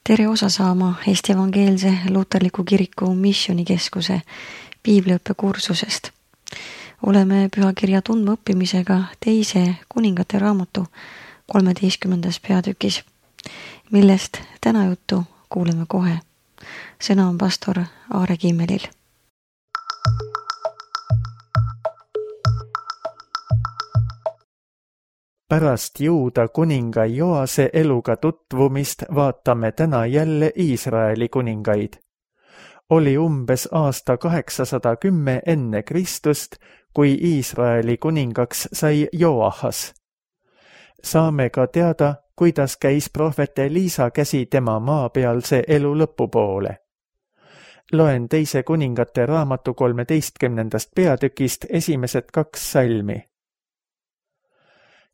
Tere osa saama Eesti Evangeelse Luterliku Kiriku Missioonikeskuse piibliõppekursusest. Oleme pühakirja tundma õppimisega teise kuningate raamatu 13. peatükis, millest täna juttu kuuleme kohe. Sõna on pastor Aare Kimmelil. Pärast Juuda kuninga Joase eluga tutvumist vaatame täna jälle Iisraeli kuningaid. Oli umbes aasta 810 enne Kristust, kui Iisraeli kuningaks sai Joahas. Saame ka teada, kuidas käis prohvet Eliisa käsi tema maapealse elu lõpupoole. Loen teise kuningate raamatu 13. peatükist esimesed 2 salmi.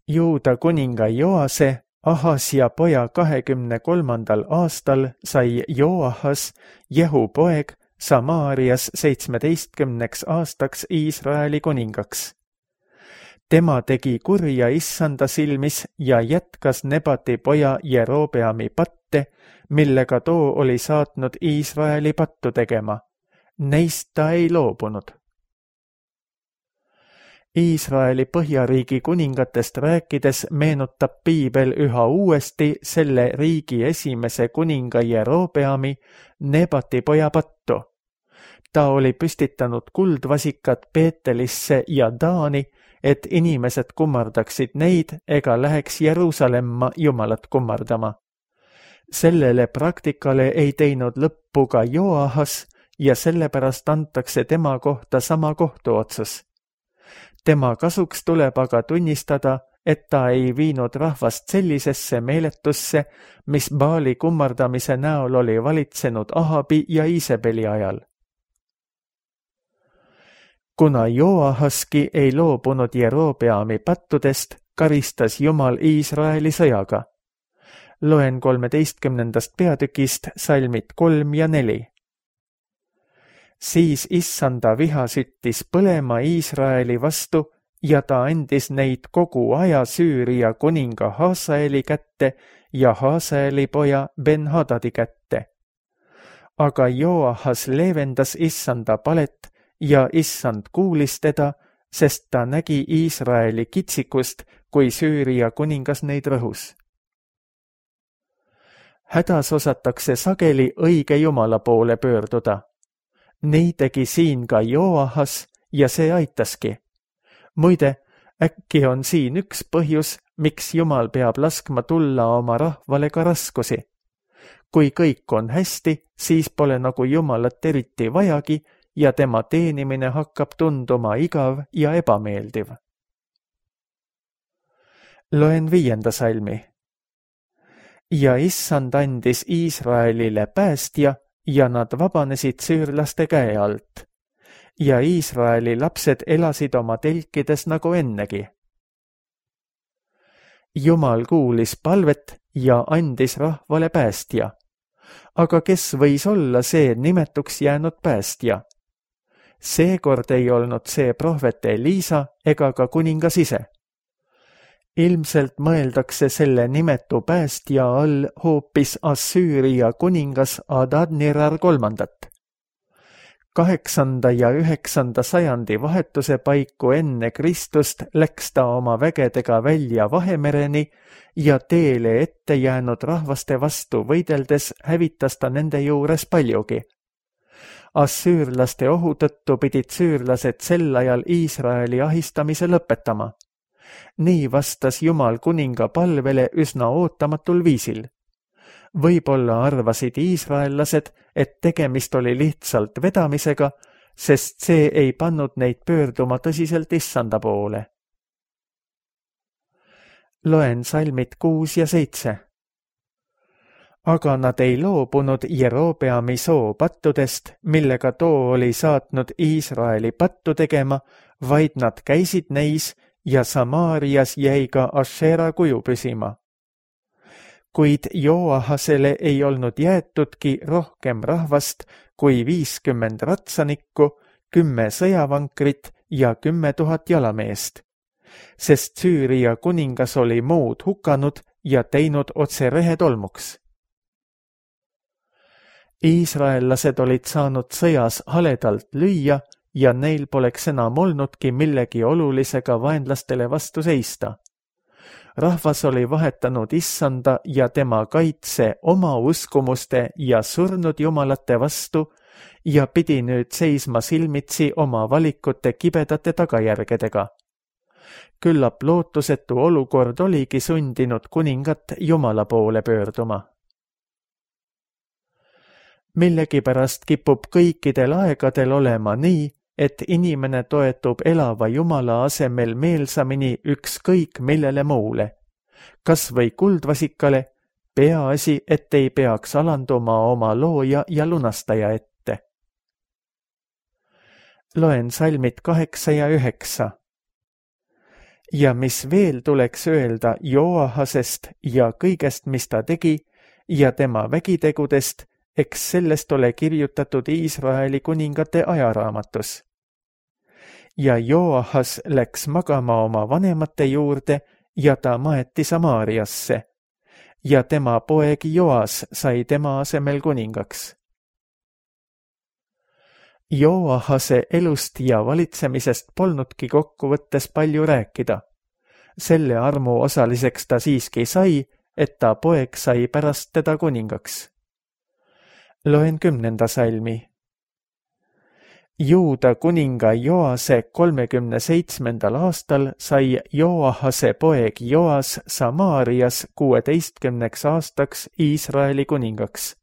Juuda kuninga Joase, Ahasja poja 23. aastal sai Joahas, Jehu poeg, Samaarias 17 aastaks Iisraeli kuningaks. Tema tegi kurja Issanda silmis ja jätkas Nebati poja Jerobeami patte, millega too oli saatnud Iisraeli pattu tegema. Neist ta ei loobunud. Iisraeli põhjariigi kuningatest rääkides meenutab piibel üha uuesti selle riigi esimese kuninga Jerobeami, Nebati poja pattu. Ta oli püstitanud kuldvasikad Beetelisse ja Daani, et inimesed kummardaksid neid ega läheks Jeruusalemma Jumalat kummardama. Sellele praktikale ei teinud lõppu ka Joahas ja sellepärast antakse tema kohta sama kohtuotsus. Tema kasuks tuleb aga tunnistada, et ta ei viinud rahvast sellisesse meeletusse, mis Baali kummardamise näol oli valitsenud Ahabi ja Iisebeli ajal. Kuna Joahaski ei loobunud Jerobeami pattudest, karistas Jumal Iisraeli sõjaga. Loen 13. peatükist salmid 3 ja 4. Siis Issanda viha süttis põlema Iisraeli vastu ja ta andis neid kogu aja Süüria kuninga Haasaeli kätte ja Haasaeli poja Ben-Hadadi kätte. Aga Joahas leevendas Issanda palet ja Issand kuulis teda, sest ta nägi Iisraeli kitsikust, kui Süüria kuningas neid rõhus. Hädas osatakse sageli õige Jumala poole pöörduda. Nii tegi siin ka Joahas ja see aitaski. Muide, äkki on siin üks põhjus, miks Jumal peab laskma tulla oma rahvale ka raskusi. Kui kõik on hästi, siis pole nagu Jumalat eriti vajagi ja tema teenimine hakkab tunduma igav ja ebameeldiv. Loen 5. salmi. Ja Issand andis Iisraelile päästja, ja nad vabanesid süürlaste käe alt. Ja Iisraeli lapsed elasid oma telkides nagu ennegi. Jumal kuulis palvet ja andis rahvale päästja. Aga kes võis olla see nimetuks jäänud päästja? Seekord ei olnud see prohvet Eliisa ega ka kuningas ise. Ilmselt mõeldakse selle nimetu päästja all hoopis Assüüria kuningas Adad-Nirar III. 8. ja 9. sajandi vahetuse paiku enne Kristust läks ta oma vägedega välja Vahemereni ja teele ette jäänud rahvaste vastu võideldes hävitas ta nende juures paljugi. Assüürlaste ohu tõttu pidid süürlased sel ajal Iisraeli ahistamise lõpetama. Nii vastas Jumal kuninga palvele üsna ootamatul viisil. Võib-olla arvasid iisraellased, et tegemist oli lihtsalt vedamisega, sest see ei pannud neid pöörduma tõsiselt Issanda poole. Loen salmid 6 ja 7. Aga nad ei loobunud Jerobeami soo pattudest, millega too oli saatnud Iisraeli pattu tegema, vaid nad käisid neis ja Samaarias jäi ka Ašera kuju püsima. Kuid Joahasele ei olnud jäetudki rohkem rahvast kui 50 ratsanikku, 10 sõjavankrit ja 10 000 jalameest, sest Süüria kuningas oli muud hukanud ja teinud otse rehetolmuks. Iisraellased olid saanud sõjas haledalt lüüa ja neil poleks enam olnudki millegi olulisega vaenlastele vastu seista. Rahvas oli vahetanud Issanda ja tema kaitse oma uskumuste ja surnud jumalate vastu ja pidi nüüd seisma silmitsi oma valikute kibedate tagajärgedega. Küllap lootusetu olukord oligi sundinud kuningat Jumala poole pöörduma. Millegipärast kipub kõikidel aegadel olema nii, et inimene toetub elava Jumala asemel meelsamini ükskõik millele muule, kas või kuldvasikale, peaasi, et ei peaks alanduma oma looja ja lunastaja ette. Loen salmid 8 ja 9. Ja mis veel tuleks öelda Joahasest ja kõigest, mis ta tegi, ja tema vägitegudest, eks sellest ole kirjutatud Iisraeli kuningate ajaraamatus. Ja Joahas läks magama oma vanemate juurde ja ta maeti Samaariasse ja tema poeg Joas sai tema asemel kuningaks. Joahase elust ja valitsemisest polnudki kokkuvõttes palju rääkida. Selle armu osaliseks ta siiski sai, et ta poeg sai pärast teda kuningaks. Loen 10. salmi. Juuda kuninga Joase 37. aastal sai Joahase poeg Joas Samaarias 16 aastaks Iisraeli kuningaks.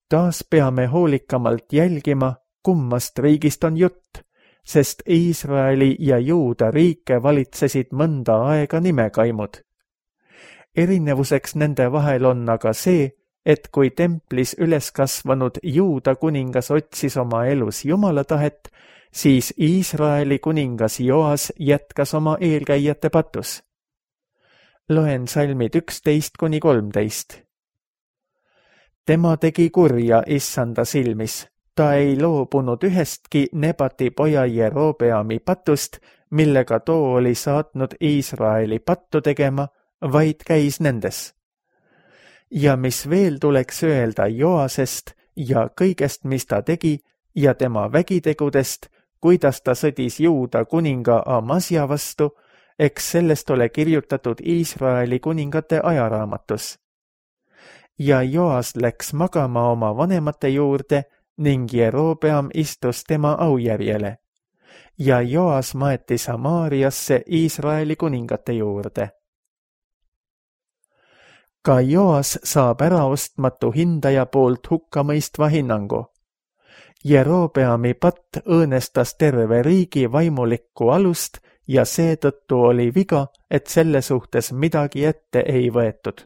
Taas peame hoolikamalt jälgima, kummast riigist on jutt, sest Iisraeli ja Juuda riike valitsesid mõnda aega nimekaimud. Erinevuseks nende vahel on aga see, et kui templis üles kasvanud Juuda kuningas otsis oma elus Jumala tahet, siis Iisraeli kuningas Joas jätkas oma eelkäijate patus. Loen salmid 11-13. Tema tegi kurja Issanda silmis. Ta ei loobunud ühestki Nebati poja Jerobeami patust, millega too oli saatnud Iisraeli pattu tegema, vaid käis nendes. Ja mis veel tuleks öelda Joasest ja kõigest, mis ta tegi, ja tema vägitegudest, kuidas ta sõdis Juuda kuninga Amasja vastu, eks sellest ole kirjutatud Iisraeli kuningate ajaraamatus. Ja Joas läks magama oma vanemate juurde ning Jerobeam istus tema aujärjele. Ja Joas maeti Samaariasse Iisraeli kuningate juurde. Ka Joas saab äraostmatu hindaja poolt hukkamõistva hinnangu. Jerobeami patt õõnestas terve riigi vaimulikku alust ja seetõttu oli viga, et selle suhtes midagi ette ei võetud.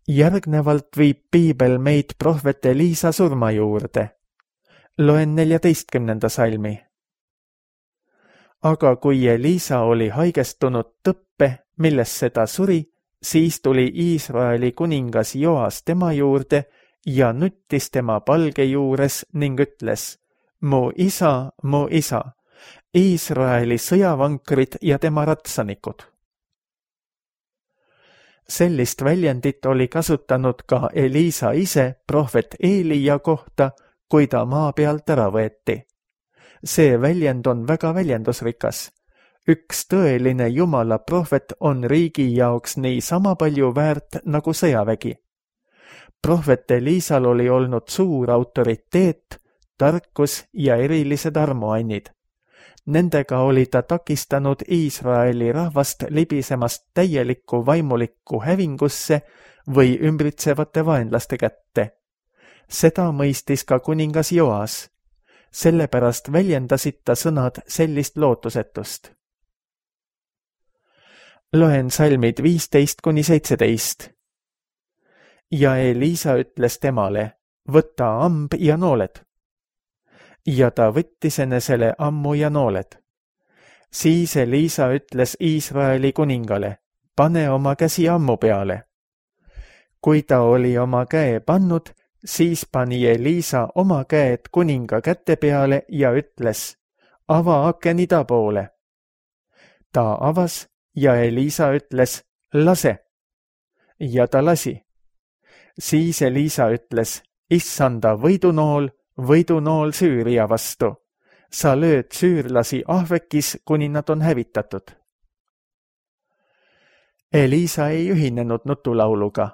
Järgnevalt viib piibel meid prohvet Eliisa surma juurde. Loen 14. salmi. Aga kui Eliisa oli haigestunud tõppe, millesse ta suri, siis tuli Iisraeli kuningas Joas tema juurde ja nuttis tema palge juures ning ütles: mu isa, Iisraeli sõjavankrid ja tema ratsanikud. Sellist väljendit oli kasutanud ka Eliisa ise prohvet Eelia kohta, kui ta maa pealt ära võeti. See väljend on väga väljendusrikas. Üks tõeline Jumala prohvet on riigi jaoks nii sama palju väärt nagu sõjavägi. Prohvet Eliisal oli olnud suur autoriteet, tarkus ja erilised armuannid. Nendega oli ta takistanud Iisraeli rahvast libisemast täielikku vaimulikku hävingusse või ümbritsevate vaenlaste kätte. Seda mõistis ka kuningas Joas. Sellepärast väljendasid ta sõnad sellist lootusetust. Loen salmid 15-17. Ja Eliisa ütles temale: võta amb ja nooled. Ja ta võttis enesele ammu ja nooled. Siis Eliisa ütles Iisraeli kuningale: pane oma käsi ammu peale. Kui ta oli oma käe pannud, siis pani Eliisa oma käed kuninga käte peale ja ütles: ava aken ida poole. Ta avas ja Eliisa ütles: lase. Ja ta lasi Siis Elisa ütles, issanda võidunool Süüria vastu. Sa lööd süürlasi ahvekis, kuni nad on hävitatud. Elisa ei ühinenud nutulauluga.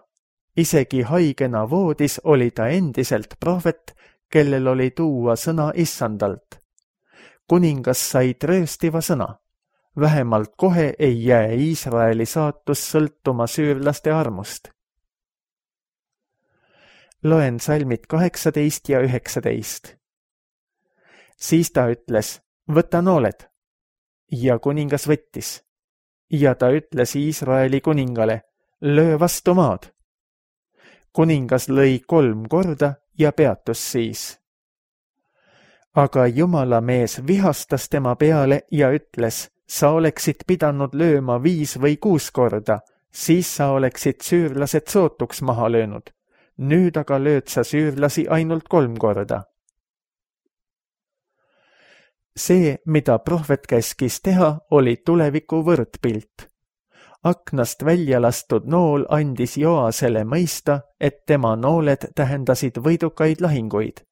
Isegi haigena voodis oli ta endiselt prohvet, kellel oli tuua sõna issandalt. Kuningas sai trööstiva sõna. Vähemalt kohe ei jää Iisraeli saatus sõltuma süürlaste armust. Loen salmid 18 ja 19. Siis ta ütles, võta nooled. Ja kuningas võttis. Ja ta ütles Iisraeli kuningale, löö vastu maad. Kuningas lõi 3 korda ja peatus siis. Aga Jumala mees vihastas tema peale ja ütles, sa oleksid pidanud lööma 5 või 6 korda, siis sa oleksid süürlased sootuks maha löönud. Nüüd aga lööd sa süürlasi ainult 3 korda. See, mida prohvet käskis teha, oli tuleviku võrdpilt. Aknast välja lastud nool andis Joasele mõista, et tema nooled tähendasid võidukaid lahinguid.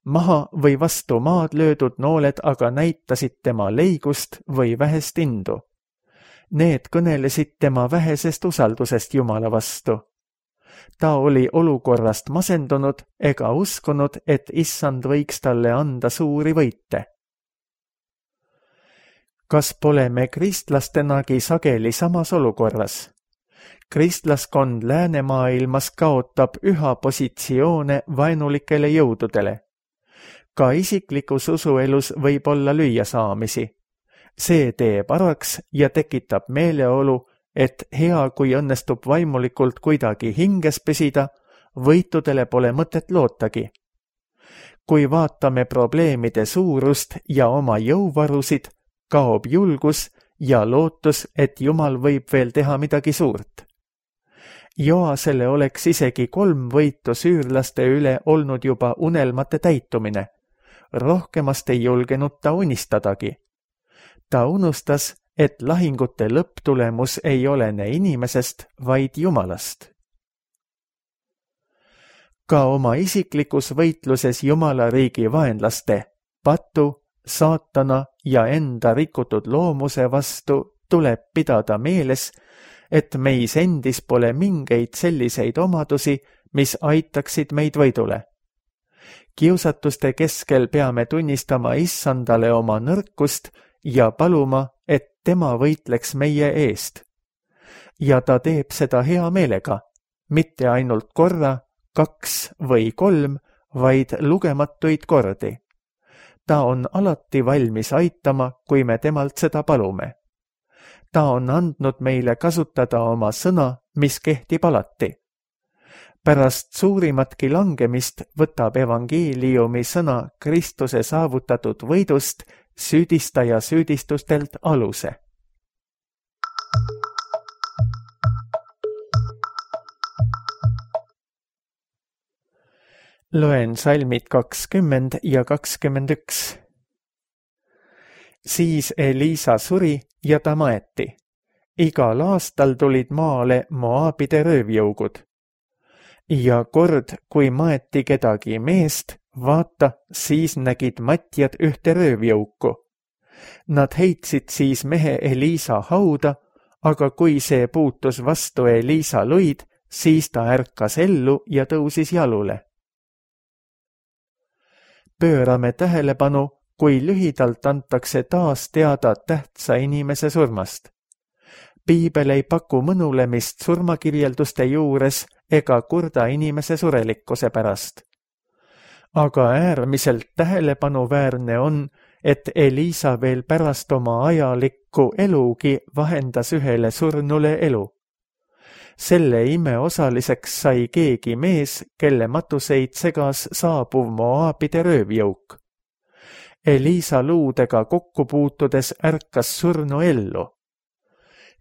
Maha või vastu maad löödud nooled aga näitasid tema leigust või vähest indu. Need kõnelesid tema vähesest usaldusest Jumala vastu. Ta oli olukorrast masendunud ega uskunud, et issand võiks talle anda suuri võite. Kas pole me kristlastenagi sageli samas olukorras? Kristlaskond läänemaailmas kaotab üha positsioone vaenulikele jõududele. Ka isiklikus usuelus võib olla lüüasaamisi. See teeb araks ja tekitab meeleolu, et hea, kui õnnestub vaimulikult kuidagi hinges püsida, võitudele pole mõtet lootagi. Kui vaatame probleemide suurust ja oma jõuvarusid, kaob julgus ja lootus, et Jumal võib veel teha midagi suurt. Joasele oleks isegi 3 võitu süürlaste üle olnud juba unelmate täitumine. Rohkemast ei julgenud ta unistadagi. Ta unustas, et lahingute lõpptulemus ei olene inimesest, vaid Jumalast. Ka oma isiklikus võitluses Jumala riigi vaenlaste, patu, saatana ja enda rikutud loomuse vastu tuleb pidada meeles, et meis endis pole mingeid selliseid omadusi, mis aitaksid meid võidule. Kiusatuste keskel peame tunnistama issandale oma nõrkust ja paluma, et tema võitleks meie eest. Ja ta teeb seda hea meelega, mitte ainult korra, 2 või 3, vaid lugematuid kordi. Ta on alati valmis aitama, kui me temalt seda palume. Ta on andnud meile kasutada oma sõna, mis kehtib alati. Pärast suurimatki langemist võtab evangeeliumi sõna Kristuse saavutatud võidust süüdistaja süüdistustelt aluse. Loen salmid 20 ja 21. Siis Elisa suri ja ta maeti. Igal aastal tulid maale Moabide röövjõugud. Ja kord, kui maeti kedagi meest, vaata, siis nägid matjad ühte röövjõuku. Nad heitsid siis mehe Elisa hauda, aga kui see puutus vastu Elisa luid, siis ta ärkas ellu ja tõusis jalule. Pöörame tähelepanu, kui lühidalt antakse taas teada tähtsa inimese surmast. Piibel ei paku mõnulemist surmakirjelduste juures ega kurda inimese surelikkuse pärast. Aga äärmiselt tähelepanuväärne on, et Elisa veel pärast oma ajalikku elugi vahendas ühele surnule elu. Selle ime osaliseks sai keegi mees, kelle matuseid segas saabuv Moabide röövjõuk. Elisa luudega kokku puutudes ärkas surnu ellu.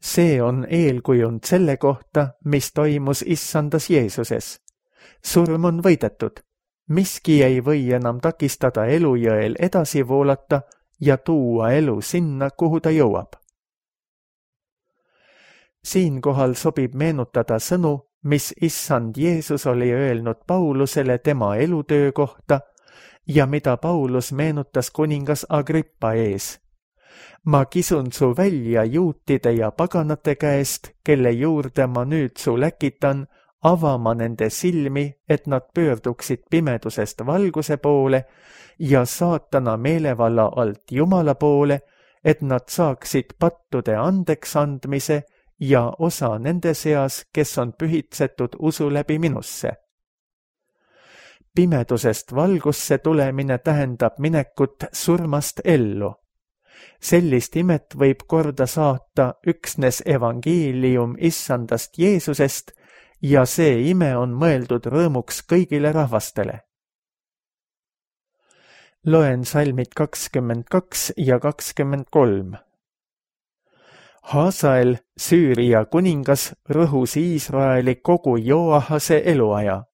See on eelkujund selle kohta, mis toimus issandas Jeesuses. Surm on võidetud. Miski ei või enam takistada elujõel edasi voolata ja tuua elu sinna, kuhu ta jõuab. Siinkohal sobib meenutada sõnu, mis issand Jeesus oli öelnud Paulusele tema elutöö kohta ja mida Paulus meenutas kuningas Agrippa ees. Ma kisun su välja juutide ja paganate käest, kelle juurde ma nüüd su läkitan, avama nende silmi, et nad pöörduksid pimedusest valguse poole ja saatana meelevalla alt Jumala poole, et nad saaksid pattude andeks andmise ja osa nende seas, kes on pühitsetud usu läbi minusse. Pimedusest valgusse tulemine tähendab minekut surmast ellu. Sellist imet võib korda saata üksnes evangeelium issandast Jeesusest ja see ime on mõeldud rõõmuks kõigile rahvastele. Loen salmid 22 ja 23. Haasael, Süüria kuningas, rõhus Iisraeli kogu Joahase eluaja,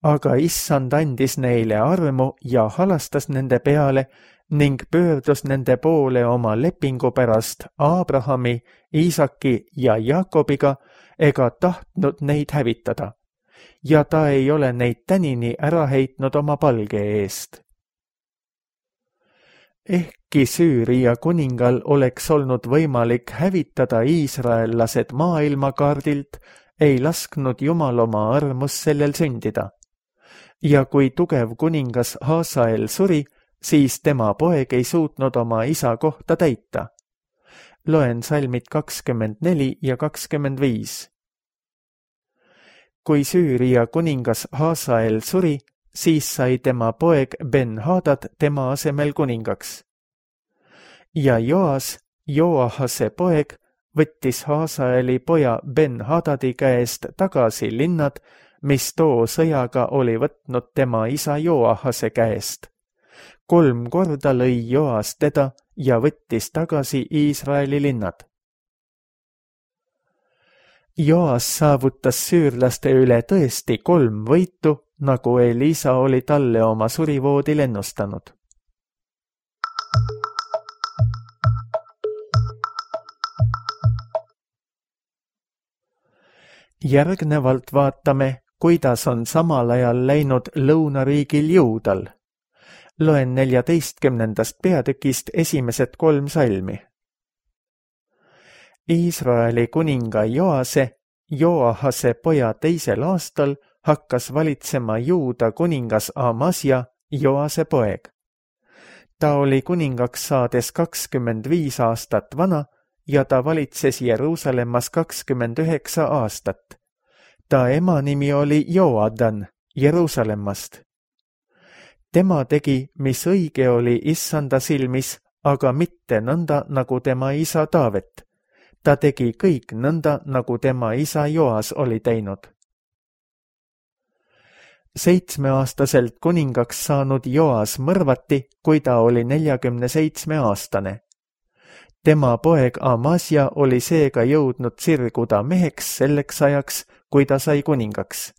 aga issand andis neile armu ja halastas nende peale ning pöördus nende poole oma lepingu pärast Abrahami, Iisaki ja Jaakobiga ega tahtnud neid hävitada, ja ta ei ole neid tänini ära heitnud oma palge eest. Ehkki Süüria kuningal oleks olnud võimalik hävitada iisraellased maailmakaardilt, ei lasknud Jumal oma armus sellel sündida. Ja kui tugev kuningas Haasael suri, siis tema poeg ei suutnud oma isa kohta täita. Loen salmid 24 ja 25. Kui Süüria kuningas Haasael suri, siis sai tema poeg Ben-Hadad tema asemel kuningaks. Ja Joas, Joahase poeg, võttis Haasaeli poja Ben-Hadadi käest tagasi linnad, mis too sõjaga oli võtnud tema isa Joahase käest. 3 korda lõi Joas teda ja võttis tagasi Iisraeli linnad. Joas saavutas süürlaste üle tõesti 3 võitu, nagu Elisa oli talle oma surivoodil ennustanud. Järgnevalt vaatame, kuidas on samal ajal läinud lõunariigil Juudal. Loen 14. peatükist esimesed 3 salmi. Iisraeli kuninga Joase, Joahase poja 2. aastal, hakkas valitsema Juuda kuningas Amasja, Joase poeg. Ta oli kuningaks saades 25 aastat vana ja ta valitses Jeruusalemmas 29 aastat. Ta ema nimi oli Joadan Jeruusalemmast. Tema tegi, mis õige oli issanda silmis, aga mitte nõnda, nagu tema isa Taavet. Ta tegi kõik nõnda, nagu tema isa Joas oli teinud. 7-aastaselt kuningaks saanud Joas mõrvati, kui ta oli 47-aastane. Tema poeg Amasja oli seega jõudnud sirguda meheks selleks ajaks, kui ta sai kuningaks.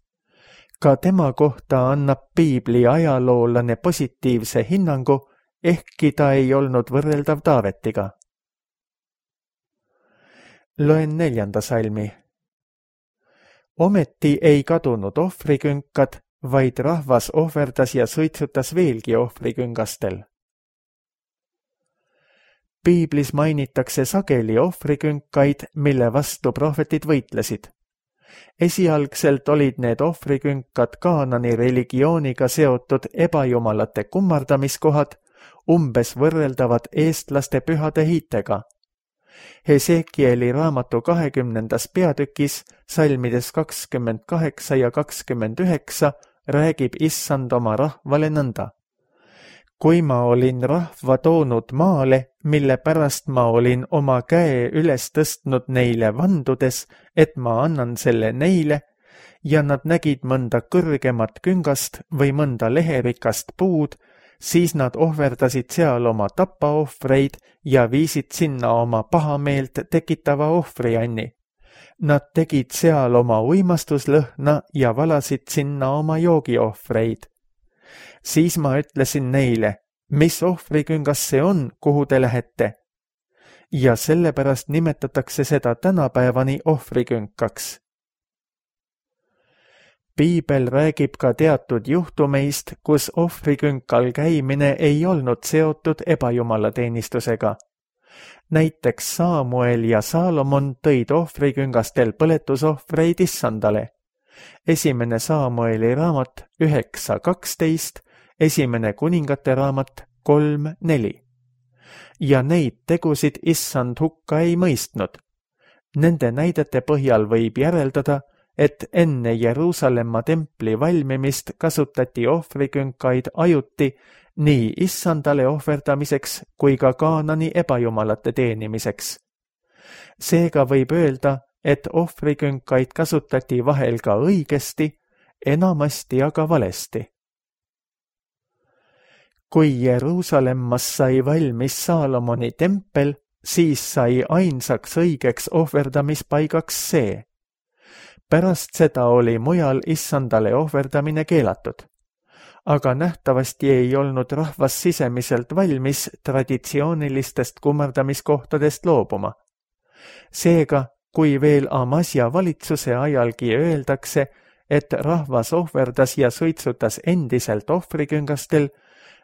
Ka tema kohta annab piibli ajaloolane positiivse hinnangu, ehkki ta ei olnud võrreldav Taavetiga. Loen 4. salmi. Ometi ei kadunud ohvrikünkad, vaid rahvas ohverdas ja suitsutas veelgi ohvriküngastel. Piiblis mainitakse sageli ohvrikünkaid, mille vastu prohvetid võitlesid. Esialgselt olid need ohvrikünkad Kaanani religiooniga seotud ebajumalate kummardamiskohad, umbes võrreldavad eestlaste pühade hiitega. Hesekieli raamatu 20. peatükis, salmides 28 ja 29, räägib issand oma rahvale nõnda. Kui ma olin rahva toonud maale, mille pärast ma olin oma käe üles tõstnud neile vandudes, et ma annan selle neile, ja nad nägid mõnda kõrgemat küngast või mõnda leherikast puud, siis nad ohverdasid seal oma tapaohvreid ja viisid sinna oma pahameelt tekitava ohvrianni. Nad tegid seal oma uimastuslõhna ja valasid sinna oma joogiohvreid. Siis ma ütlesin neile, mis ohvriküngas see on, kuhu te lähete? Ja sellepärast nimetatakse seda tänapäevani ohvrikünkaks. Piibel räägib ka teatud juhtumeist, kus ohvrikünkal käimine ei olnud seotud ebajumalateenistusega. Näiteks Saamuel ja Saalomon tõid ohvriküngastel põletusohvreid Issandale. 1. Saamueli raamat 9.12, 1. Kuningate raamat 3.4. Ja neid tegusid Issand hukka ei mõistnud. Nende näidete põhjal võib järeldada, et enne Jeruusalemma templi valmimist kasutati ohvrikünkaid ajuti nii Issandale ohverdamiseks kui ka Kaanani ebajumalate teenimiseks. Seega võib öelda, et ohvrikünkaid kasutati vahel ka õigesti, enamasti aga valesti. Kui Jeruusalemmas sai valmis Saalomoni tempel, siis sai ainsaks õigeks ohverdamispaigaks see. Pärast seda oli mujal Issandale ohverdamine keelatud. Aga nähtavasti ei olnud rahvas sisemiselt valmis traditsioonilistest kummardamiskohtadest loobuma. Seega, kui veel Amasja valitsuse ajalgi öeldakse, et rahvas ohverdas ja suitsutas endiselt ohvriküngastel,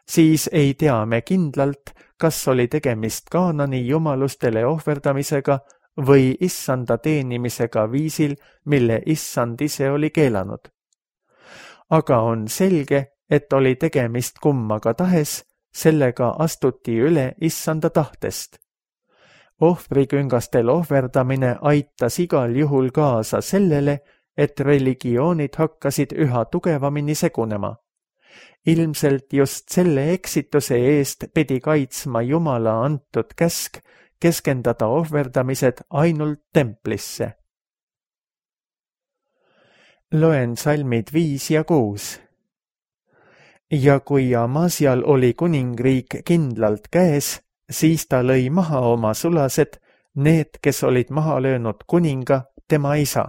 siis ei tea me kindlalt, kas oli tegemist Kaanani jumalustele ohverdamisega või Issanda teenimisega viisil, mille Issand ise oli keelanud. Aga on selge, et oli tegemist kummaga tahes, sellega astuti üle Issanda tahtest. Ohvriküngastel ohverdamine aitas igal juhul kaasa sellele, et religioonid hakkasid üha tugevamini segunema. Ilmselt just selle eksituse eest pidi kaitsma Jumala antud käsk keskendada ohverdamised ainult templisse. Loen salmid 5 ja 6. Ja kui Amasial oli kuningriik kindlalt käes, siis ta lõi maha oma sulased, need, kes olid maha löönud kuninga, tema isa.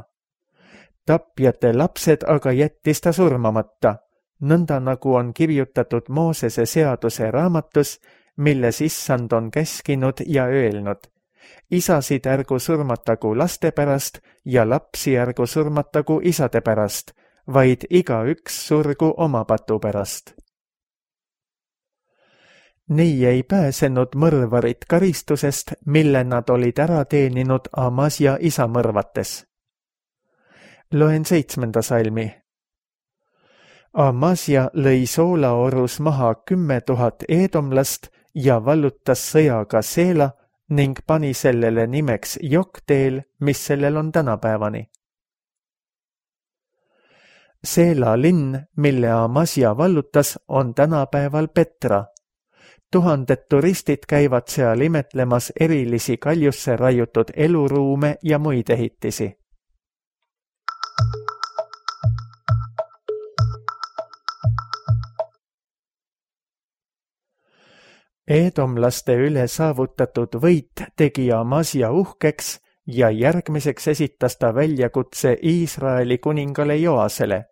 Tapjate lapsed aga jättis ta surmamata, nõnda nagu on kirjutatud Moosese seaduse raamatus, milles Issand on käskinud ja öelnud. Isasid ärgu surmatagu laste pärast ja lapsi ärgu surmatagu isade pärast, vaid igaüks surgu oma patu pärast. Nii ei pääsenud mõrvarid karistusest, mille nad olid ära teeninud Amasja isa mõrvates. Loen 7. salmi. Amasja lõi Soolaorus maha 10 000 eedomlast ja vallutas sõjaga Seela ning pani sellele nimeks Jokteel, mis sellel on tänapäevani. Seela linn, mille Amasja vallutas, on tänapäeval Petra. 1000 turistid käivad seal imetlemas erilisi kaljusse raiutud eluruume ja muid ehitisi. Eedomlaste üle saavutatud võit tegi Amasja uhkeks ja järgmiseks esitas ta väljakutse Iisraeli kuningale Joasele.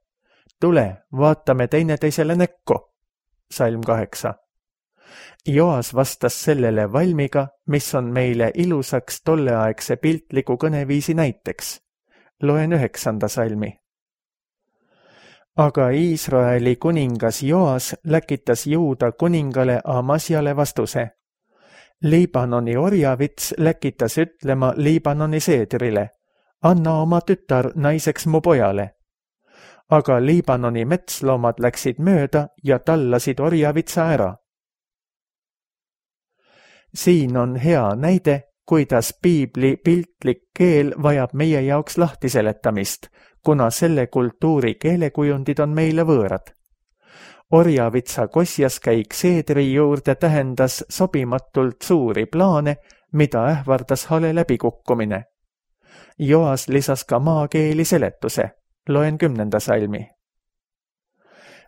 Tule, vaatame teineteisele näkku. Salm 8. Joas vastas sellele valmiga, mis on meile ilusaks tolleaegse piltliku kõneviisi näiteks. Loen 9. salmi. Aga Iisraeli kuningas Joas läkitas Juuda kuningale Amasjale vastuse. Liibanoni orjavits läkitas ütlema Liibanoni seedrile, anna oma tütar naiseks mu pojale. Aga Liibanoni metsloomad läksid mööda ja tallasid orjavitsa ära. Siin on hea näide, kuidas piibli piltlik keel vajab meie jaoks lahtiseletamist, kuna selle kultuuri keelekujundid on meile võõrad. Orjavitsa kosjaskäik seedri juurde tähendas sobimatult suuri plaane, mida ähvardas hale läbikukkumine. Joas lisas ka maakeeli seletuse. Loen 10. salmi.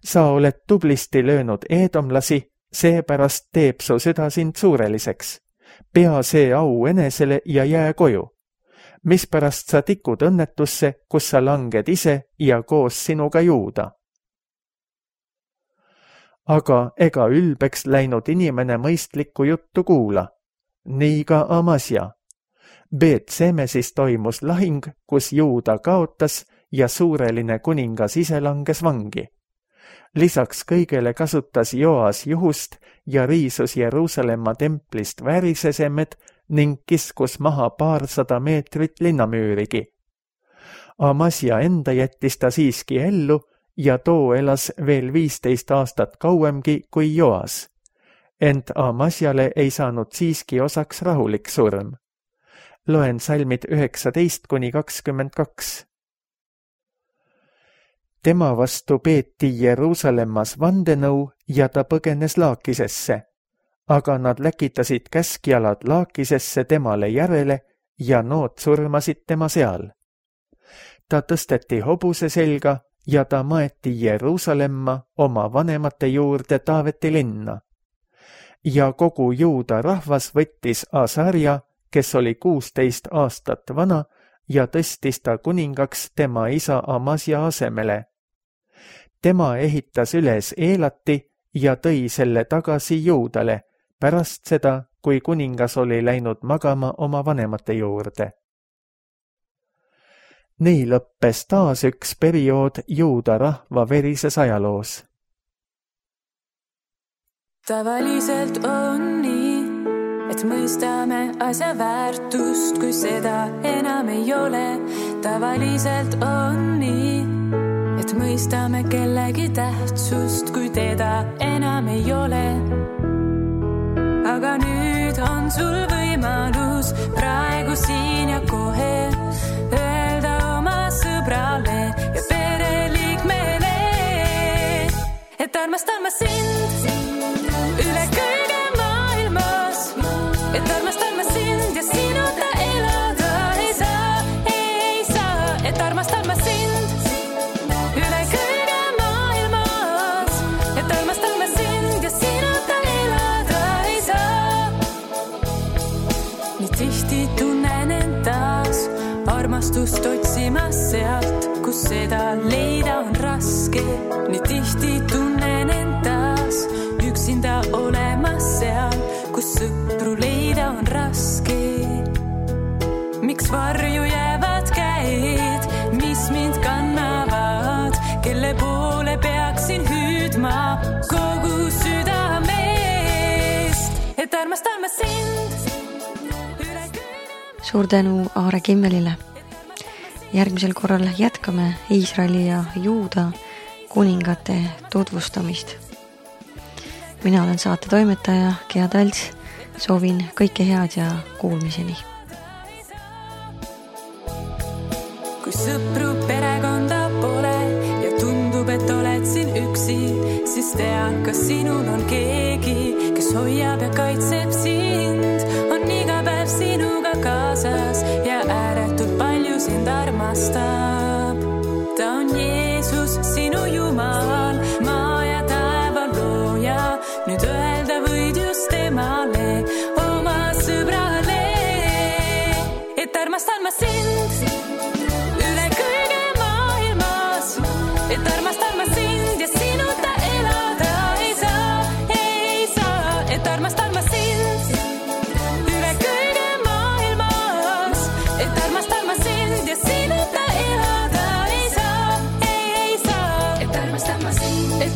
Sa oled tublisti löönud eedomlasi, seepärast teeb su süda sind suureliseks. Pea see au enesele ja jää koju. Mispärast sa tikud õnnetusse, kus sa langed ise ja koos sinuga Juuda? Aga ega ülbeks läinud inimene mõistlikku juttu kuula. Nii ka Amasja. Beet-Semesis toimus lahing, kus Juuda kaotas ja suureline kuningas ise langes vangi. Lisaks kõigele kasutas Joas juhust ja riisus Jeruusalemma templist väärisesemed ning kiskus maha 200 meetrit linnamüürigi. Amasia enda jättis ta siiski ellu ja too elas veel 15 aastat kauemgi kui Joas. Ent Amasiale ei saanud siiski osaks rahulik surm. Loen salmid 19-22. Tema vastu peeti Jeruusalemmas vandenõu ja ta põgenes Laakisesse, aga nad läkitasid käskjalad Laakisesse temale järele ja nood surmasid tema seal. Ta tõsteti hobuse selga ja ta maeti Jeruusalemma oma vanemate juurde Taaveti linna. Ja kogu Juuda rahvas võttis Asarja, kes oli 16 aastat vana, ja tõstis ta kuningaks tema isa Amasia asemele. Tema ehitas üles Eelati ja tõi selle tagasi Juudale pärast seda, kui kuningas oli läinud magama oma vanemate juurde. Nii lõppes taas üks periood Juuda rahva verises ajaloos. Tavaliselt on nii, et mõistame asja väärtust, kui seda enam ei ole. Tavaliselt on nii, et mõistame kellegi tähtsust, kui teda enam ei ole. Aga nüüd on sul võimalus praegu siin ja kohe öelda oma sõbrale ja pereliikmele, et armastan ma sind üle kõige maailmas, et armastan ma sind ja sinuta elada ei saa, et armastan ma sind üle kõige maailmas, et armastan ma sind ja sinuta elada ei saa. Nii tihti tunnen end taas armastust otsimas sealt, kus seda leida on raske. Nii tihti tunnen end taas üksinda olemas seal, kus sõpru leida on raske. Miks varju jäävad käed, mis mind kannavad, kelle poole peaksin hüüdma kogu südamest, et armastan ma sind üle kõige. Suur tänu Aare Kimmelile. Järgmisel korral jätkame Iisraeli ja Juuda kuningate tutvustamist. Mina olen saate toimetaja Gea Talts. Soovin kõike head ja kuulmiseni. Kui sõpru perekonda pole ja tundub, et oled siin üksi, siis tea, kas sinul on keegi, kes hoiab ja kaitseb sind, on iga päev sinuga kaasas ja ääretult palju sind armastab. Ta on Jeesus, sinu Jumal, maa ja taeva looja, nüüd öelda võid just temale, oma sõbrale, et armastan ma sind üle kõige maailmas, et armastan ma sind ja sinuta elada ei saa, et armastan ma sind üle kõige maailmas, et armastan ma sind ja sinuta elada ei saa, et armastan ma sind, et